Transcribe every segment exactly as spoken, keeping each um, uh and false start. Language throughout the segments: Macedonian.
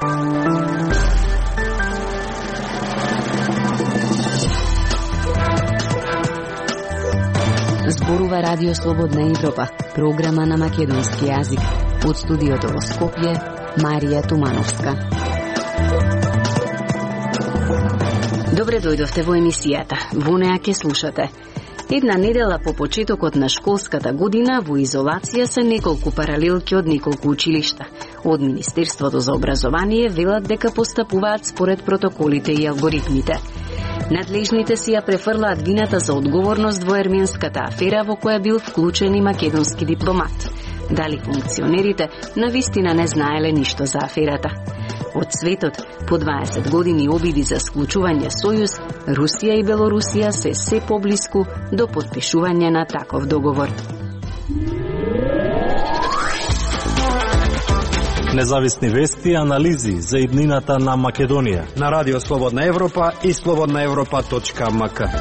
Зборува Радио Слободна Европа, програма на македонски јазик. Од студиото во Скопје, Марија Тумановска. Добре дојдовте во емисијата. Во неа ќе слушате. Една недела по почетокот на школската година во изолација се неколку паралелки од неколку училишта. Од Министерството за образование велат дека постапуваат според протоколите и алгоритмите. Надлежните си ја префрлаат вината за одговорност во ерменската афера во која бил вклучен и македонски дипломат. Дали функционерите навистина не знаеле ништо за аферата? Од светот, по дваесет години обиди за склучување сојуз, Русија и Белорусија се се поблиску до потпишување на таков договор. Независни вести и анализи за иднината на Македонија на Радио Слободна Европа и слободна европа точка ем ка.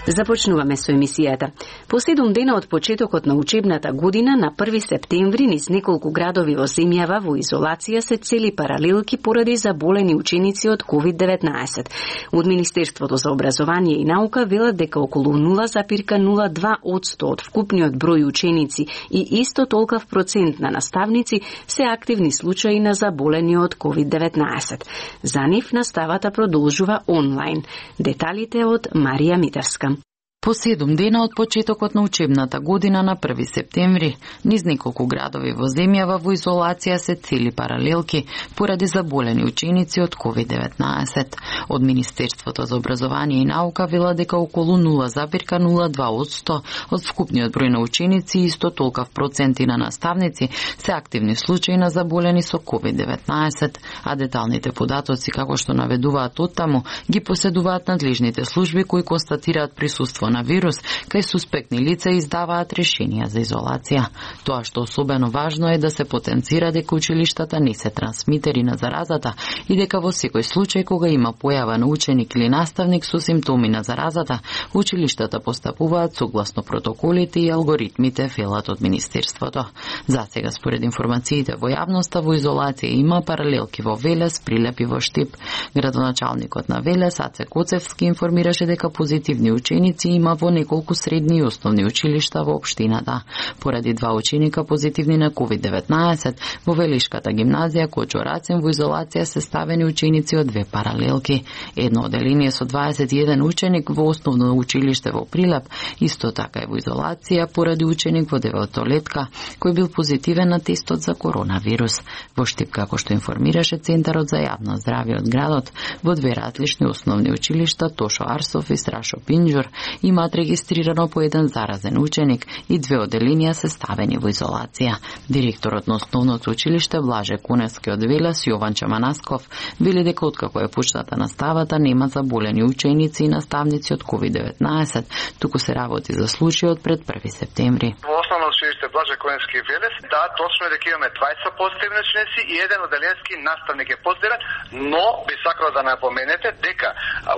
Започнуваме со емисијата. По седум дена од почетокот на учебната година, на први септември, низ неколку градови во земјава во изолација се цели паралелки поради заболени ученици од ковид деветнаесет. Од Министерството за образование и наука велат дека околу нула запирка нула два одсто од вкупниот број ученици и исто толков процент на наставници се активни случаи на заболени од ковид деветнаесет. За нив наставата продолжува онлайн. Деталите од Марија Митарска. По седум дена од почетокот на учебната година на први септември, низ неколку градови во земјава во изолација се цели паралелки поради заболени ученици од ковид деветнаесет. Од Министерството за образование и наука вела дека околу нула запирка нула два одсто од вкупниот број на ученици и исто толков проценти на наставници се активни случаи на заболени со ковид деветнаесет, а деталните податоци, како што наведуваат оттаму, ги поседуваат надлежните служби кои констатираат присуство на вирус, кај суспектни лица издаваат решенија за изолација. Тоа што особено важно е да се потенцира дека училиштата не се трансмитери на заразата и дека во секој случај кога има појава на ученик или наставник со симптоми на заразата, училиштата постапуваат согласно протоколите и алгоритмите, велат од Министерството. За сега, според информациите во јавноста, во изолација има паралелки во Велес, Прилеп и во Штип. Градоначалникот на Велес, Аце Коцевски, информираше дека позитивни ученици има во неколку средни и основни училишта во општината. Поради два ученика позитивни на ковид деветнаесет, во Велишката гимназија Кочо Рацин во изолација се ставени ученици од две паралелки. Едно оделение со дваесет и еден ученик во основно училиште во Прилеп, исто така и во изолација поради ученик во деветолетка кој бил позитивен на тестот за коронавирус. Во Штип, како што информираше Центарот за јавно здравје од градот, во две различни основни училишта Тошо Арсов и Страшо Пинџур имаат регистрирано по еден заразен ученик и две оделенија се ставени во изолација. Директорот на основното училиште Блаже Куневски од Велес, Јован Чаманасков, вели дека откако е почната наставата нема заболени ученици и наставници од ковид деветнаесет, туку се работи за случајот пред први септември. Во основно училиште Блаже Куневски Велес, да, точно е дека имаме дваесет позитивни ученици и еден оделенски наставник е позитивен, но би сакал да напоменете дека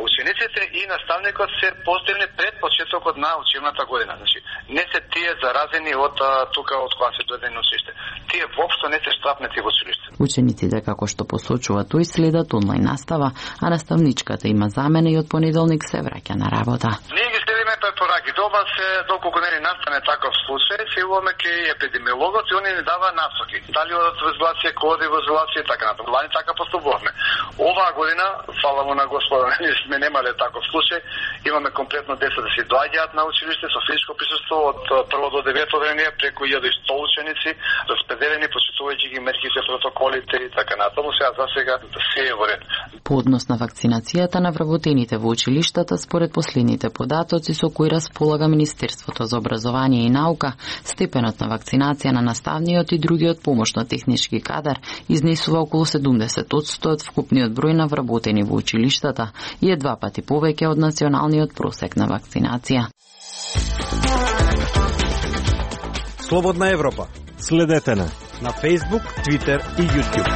учениците и наставникот се позитивни пред почетокот на учебната година. Значи, не се тие заразени од тука од кога се дојде на училиште. Тие воопшто не се штрафнети во училиште. Учениците, како што посочува тој, следат онлайн настава, а наставничката има замена и од понеделник се враќа на работа. Ние ги следиме препораки. Доба се, доколку не ни настане таков случај, се уваме ке епидемиологот и они ни дава насоки. Дали одат во изолација, коди во изолација и така натаму. Лани така поступуваме. Оваа година, фала му на Господа, ние сме немале таков случај. Имаме комплетно деца да се доаѓаат на училиште со физичко присуство од прво до девето одделение, преку илјада и сто ученици, распределени, почитувајќи ги мерките, протоколите и така натаму. Сега за сега се е во ред. По однос на вакцинацијата на вработените во училиштата, според последните податоци со кои располага Министерството за образование и наука, степенот на вакцинација на наставниот и другиот помошно-технички кадар изнесува околу седумдесет одсто од вкупниот број на вработени во училиштата и е два пати повеќе од националниот просек на вакцинација. Слободна Европа. Следете на на Facebook, Twitter и YouTube.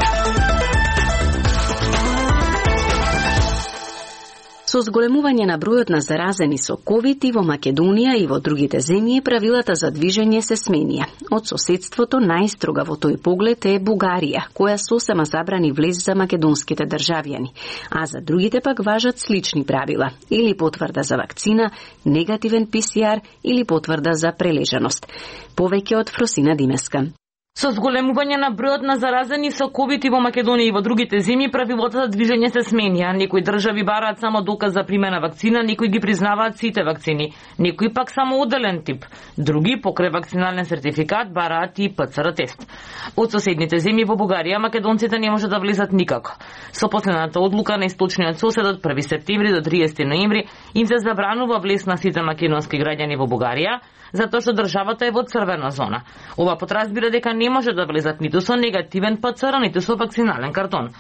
Со зголемување на бројот на заразени со ковид и во Македонија и во другите земји, правилата за движење се сменија. Од соседството најстрога во тој поглед е Бугарија, која сосема забрани влез за македонските државјани, а за другите пак важат слични правила, или потврда за вакцина, негативен пе се ар или потврда за прележаност. Повеќе од Фросина Димеска. Со зголемување на бројот на заразени со ковид и во Македонија и во другите земји, правилата за движење се сменија. Некои држави бараат само доказ за примена вакцина, некои ги признаваат сите вакцини, некои пак само одделен тип. Други, покрај вакцинален сертификат, бараат и пе це ер тест. Од соседните земји во Бугарија, македонците не може да влезат никако. Со последната одлука на источниот сосед од први септември до триесети ноември им се забранува влез на сите македонски граѓани во Бугарија, затоа што државата е во црвена зона. Ова подразбира дека не може да влезат ниту со негативен пе це ер, ниту со вакцинален картон.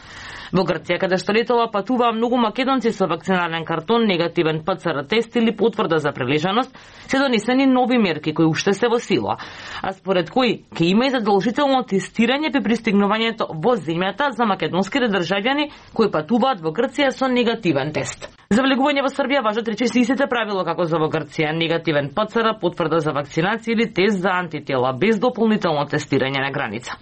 Во Грција, каде што летова патуваа многу македонци со вакцинален картон, негативен пе це ер тест или потврда за прележаност, се донесени нови мерки кои уште се во сила, а според кои ќе има и задолжително тестирање при пристигнувањето во земјата за македонските државјани кои патуваат во Грција со негативен тест. За влегување во Србија важат речиси истите правила како за во Грција, негативен пе це ер, потврда за вакцинација или тест за антитела без дополнително тестирање на граница.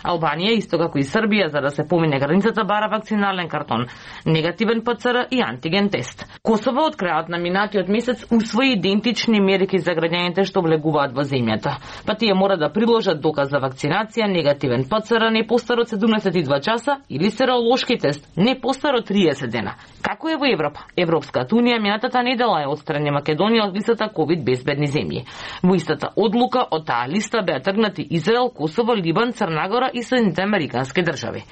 Албанија, исто како и Србија, за да се помине границата, бара вакцинален картон, негативен пе це ер и антиген тест. Косово од крајот на минатиот месец усвои идентични мерки за граѓаните што влегуваат во земјата. Па тие мора да приложат доказ за вакцинација, негативен пе це ер не постар од седумнаесет и два часа или серолошки тест не постар од триесет дена. Како е во Европа? Европската унија минатата недела е отстрани Македонија од листата ковид безбедни земји. Во истата одлука од таа листа беа тргнати Израел, Косово, Либан, Црна Гора и Соединените американски држави.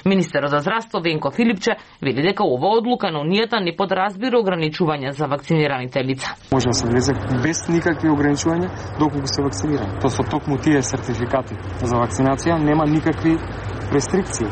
Министерот за здравство Венко Филипче вели дека ова одлука на унијата не подразбира ограничувања за вакцинираните лица. Може да се влезе без никакви ограничувања доколку се вакцинирани. Тоа со токму тие сертификати за вакцинација нема никакви рестрикции.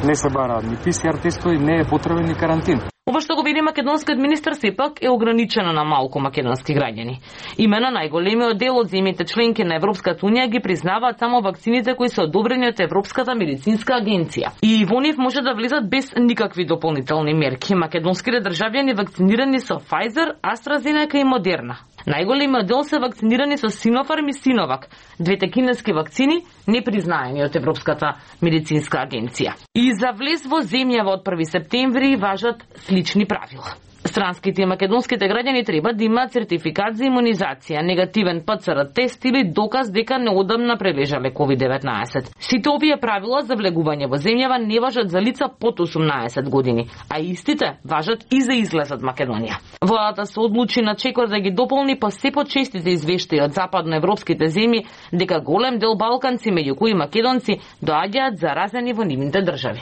Не се бараат ни пе се ар тестови, не е потребен ни карантин. Ова што го вели македонскиот министер сепак е ограничено на малку македонски граѓани. Имено најголемиот дел од земјите членки на Европската унија ги признаваат само вакцините кои се одобрени од Европската медицинска агенција. И во нив може да влезат без никакви дополнителни мерки. Македонските државјани вакцинирани со Pfizer, AstraZeneca и Moderna. Најголемиот дел се вакцинирани со Sinopharm и Sinovac, двете кинески вакцини непризнаени од Европската медицинска агенција. И за влез во земјава од први септември важат слични правила. Странските и македонските граѓани треба да имаат сертификат за имунизација, негативен пе це ер тест или доказ дека неодамна прележале ковид деветнаесет. Сите овие правила за влегување во земјава не важат за лица под осумнаесет години, а истите важат и за излез од Македонија. Владата се одлучи на чекор да ги дополни па се почестите извештаи од западноевропските земји дека голем дел балканци, меѓу кои македонци, доаѓаат заразени во нивните држави.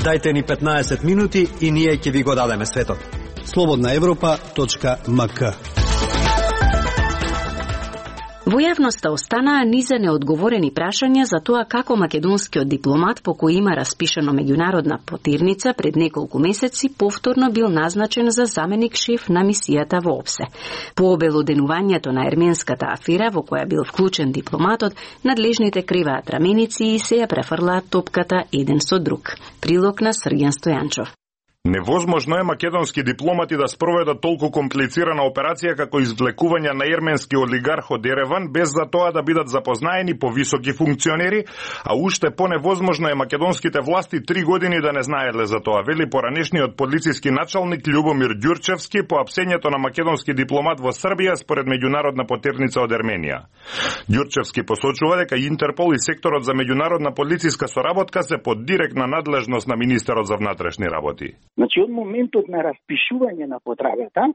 Дајте ни петнаесет минути и ние ќе ви го дадеме светот. слободна европа точка ем ка. Во јавноста останаа низа неодговорени прашања за тоа како македонскиот дипломат по кој има распишено меѓународна потирница пред неколку месеци повторно бил назначен за заменик шеф на мисијата во ОПСЕ. По обелоденувањето на ерменската афера во која бил вклучен дипломатот, надлежните криваат раменици и се ја префрлаат топката еден со друг. Прилог на Срѓан Стојанчов. Невозможно е македонски дипломати да спроведат толку комплицирана операција како извлекување на ерменски олигарх од Ереван без за тоа да бидат запознаени по високи функционери, а уште поневозможно е македонските власти три години да не знаеле за тоа, вели поранешниот полициски началник Љубомир Ѓурчевски по апсењето на македонски дипломат во Србија според меѓународна потерница од Ерменија. Ѓурчевски посочува дека Интерпол и секторот за меѓународна полициска соработка се под директна надлежност на министерот за внатрешни работи. Значи, од моментот на распишување на потрагата,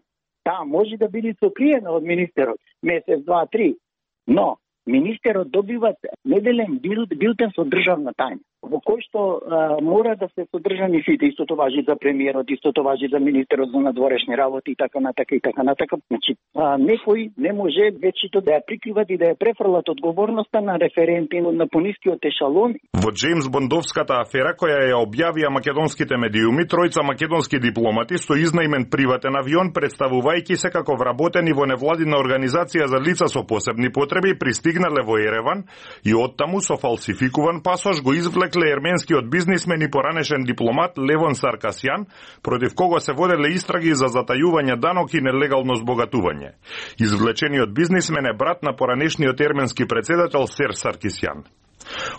таа може да биде сокриена од министерот месец, два, три, но министерот добива неделен билтен со државна тајна, во кој што а, мора да се содржани сите. Истото важи за премиерот, истото важи за министерот за надворешни работи и така натака и така натака. Значи, а, некој не може вечето да ја прикриват и да ја префрлат одговорноста на референти на понискиот ешалон. Во Джеймс Бондовската афера која ја објавија македонските медиуми, тројца македонски дипломати со изнајмен приватен авион, представувајќи се како вработени во невладина организација за лица со посебни потреби, пристигнале во Ереван и оттаму со фалсификуван пасош го извлекле мисле ерменскиот бизнисмен и поранешен дипломат Левон Саркасјан, против кого се воделе истраги за затајување данок и нелегално збогатување. Извлечениот бизнисмен е брат на поранешниот ерменски председател Серж Саркисјан.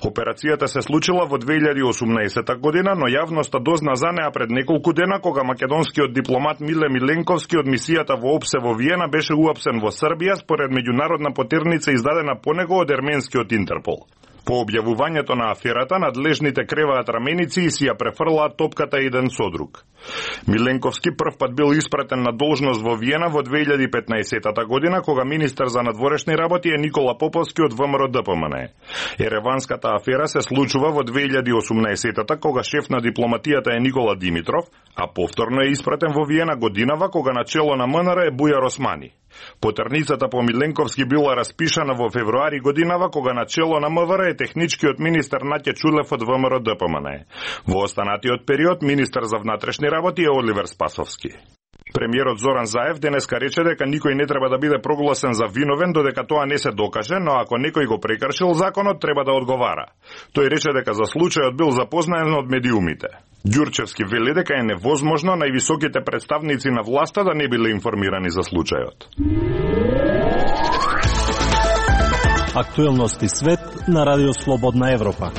Операцијата се случила во две илјади и осумнаесета година, но јавноста дозна за неа пред неколку дена, кога македонскиот дипломат Миле Миленковски од мисијата во ОПСЕ во Виена беше уапсен во Србија според меѓународна потерница издадена по него од ерменскиот Интерпол. По објавувањето на аферата, надлежните креваат раменици и си ја префрлаат топката еден со друг. Миленковски првпат бил испратен на должност во Виена во две илјади и петнаесета година, кога министер за надворешни работи е Никола Поповски од ВМРО Д П М Н. Ереванската афера се случува во две илјади и осумнаесета, кога шеф на дипломатијата е Никола Димитров, а повторно е испратен во Виена годинава, кога на чело на М Н Р е Бујар Османи. Потерницата по Миленковски била распишана во февруари годинава, кога на чело на М В Р е техничкиот министер Наќе Чулев од ВМРО Д П М Н. Во останатиот период министер за внатрешни работи е Оливер Спасовски. Премиерот Зоран Заев денеска рече дека никој не треба да биде прогласен за виновен додека тоа не се докаже, но ако некој го прекршил законот, треба да одговара. Тој рече дека за случајот бил запознаен од медиумите. Ѓурчевски вели дека е невозможно највисоките представници на власта да не биле информирани за случајот. Актуелности свет на Радио Слободна Европа.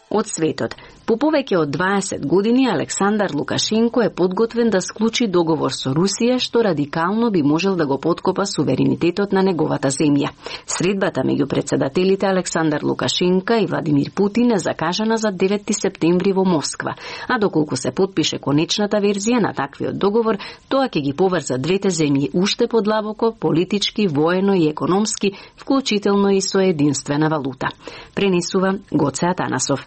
Од светот. По повеќе од дваесет години Александар Лукашенко е подготвен да склучи договор со Русија, што радикално би можел да го поткопа суверенитетот на неговата земја. Средбата меѓу председателите Александар Лукашенко и Владимир Путин е закажана за деветти септември во Москва, а доколку се потпише конечната верзија на таквиот договор, тоа ќе ги поврза двете земји уште подлабоко, политички, воено и економски, вклучително и со единствена валута. Пренесува Гоце Атанасов.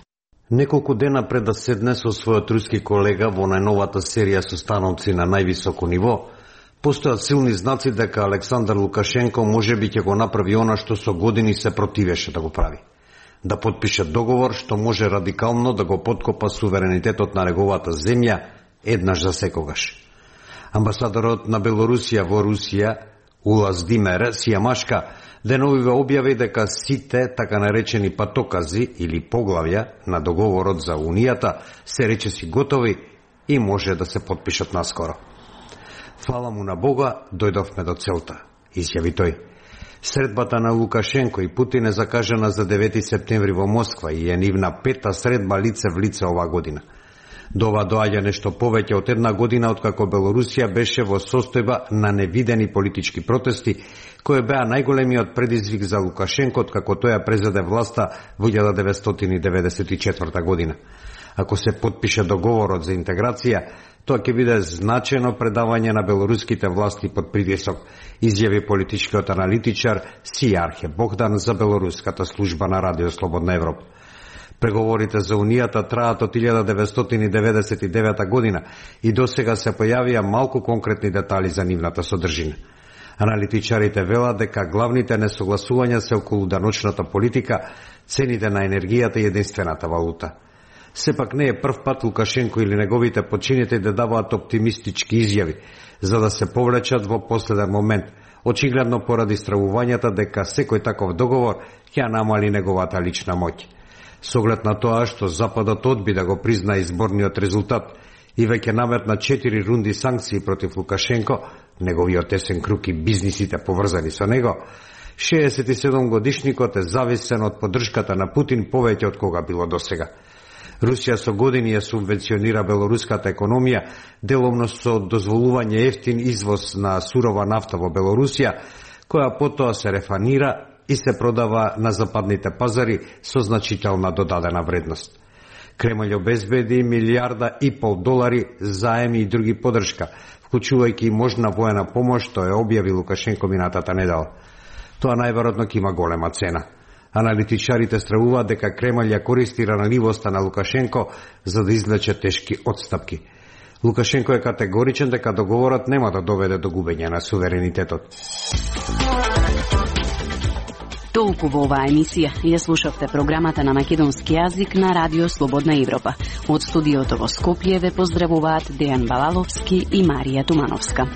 Неколку дена пред да седне со својот руски колега во најновата серија состаноци на највисоко ниво, постојат силни знаци дека Александар Лукашенко можеби ќе го направи она што со години се противеше да го прави. Да потпише договор што може радикално да го поткопа суверенитетот на неговата земја еднаш за секогаш. Амбасадорот на Белорусија во Русија, Улас Димер Сијамашка, деновиве објави дека сите така наречени патокази или поглавја на договорот за Унијата се речиси готови и може да се потпишат наскоро. Фала му на Бога, дојдовме до целта, изјави тој. Средбата на Лукашенко и Путин е закажана за деветти септември во Москва и е нивна пета средба лице в лице оваа година. До ова доаѓа нешто повеќе од една година откако Белорусија беше во состојба на невидени политички протести, кои беа најголемиот предизвик за Лукашенко откако тој ја презеде власта во илјада деветстотини и деветдесет и четврта година. Ако се потпише договорот за интеграција, тоа ќе биде значено предавање на белоруските власти под притисок, изјави политичкиот аналитичар Сијархе Богдан за белоруската служба на Радио Слободна Европа. Преговорите за Унијата траат од илјада деветстотини деветдесет и девета година и досега се појавија малку конкретни детали за нивната содржина. Аналитичарите велат дека главните несогласувања се околу даночната политика, цените на енергијата и единствената валута. Сепак не е прв пат Лукашенко или неговите подчинети да даваат оптимистички изјави, за да се повлечат во последен момент, очигледно поради стравувањата дека секој таков договор ќе намали неговата лична моќ. Со оглед на тоа што Западот одби да го призна изборниот резултат и веќе наметна четири рунди санкции против Лукашенко, неговиот тесен круг и бизнисите поврзани со него, шеесет и седум годишникот е зависен од поддршката на Путин повеќе од кога било досега. Русија со години ја субвенционира белоруската економија, деломно со дозволување ефтин извоз на сурова нафта во Белорусија, која потоа се рефанира и се продава на западните пазари со значителна додадена вредност. Кремљ обезбеди милијарда и пол долари заеми и други поддршка, вклучувајќи и можна воена помош, што е објави Лукашенко минатата недела. Тоа најверојатно ќе има голема цена. Аналитичарите стравуваат дека Кремљ ја користи ранливоста на Лукашенко за да извлече тешки отстапки. Лукашенко е категоричен дека договорот нема да доведе до губење на суверенитетот. Толку во оваа емисија. Ја слушавте програмата на македонски јазик на Радио Слободна Европа. Од студиото во Скопје ве поздравуваат Дејан Балаловски и Марија Тумановска.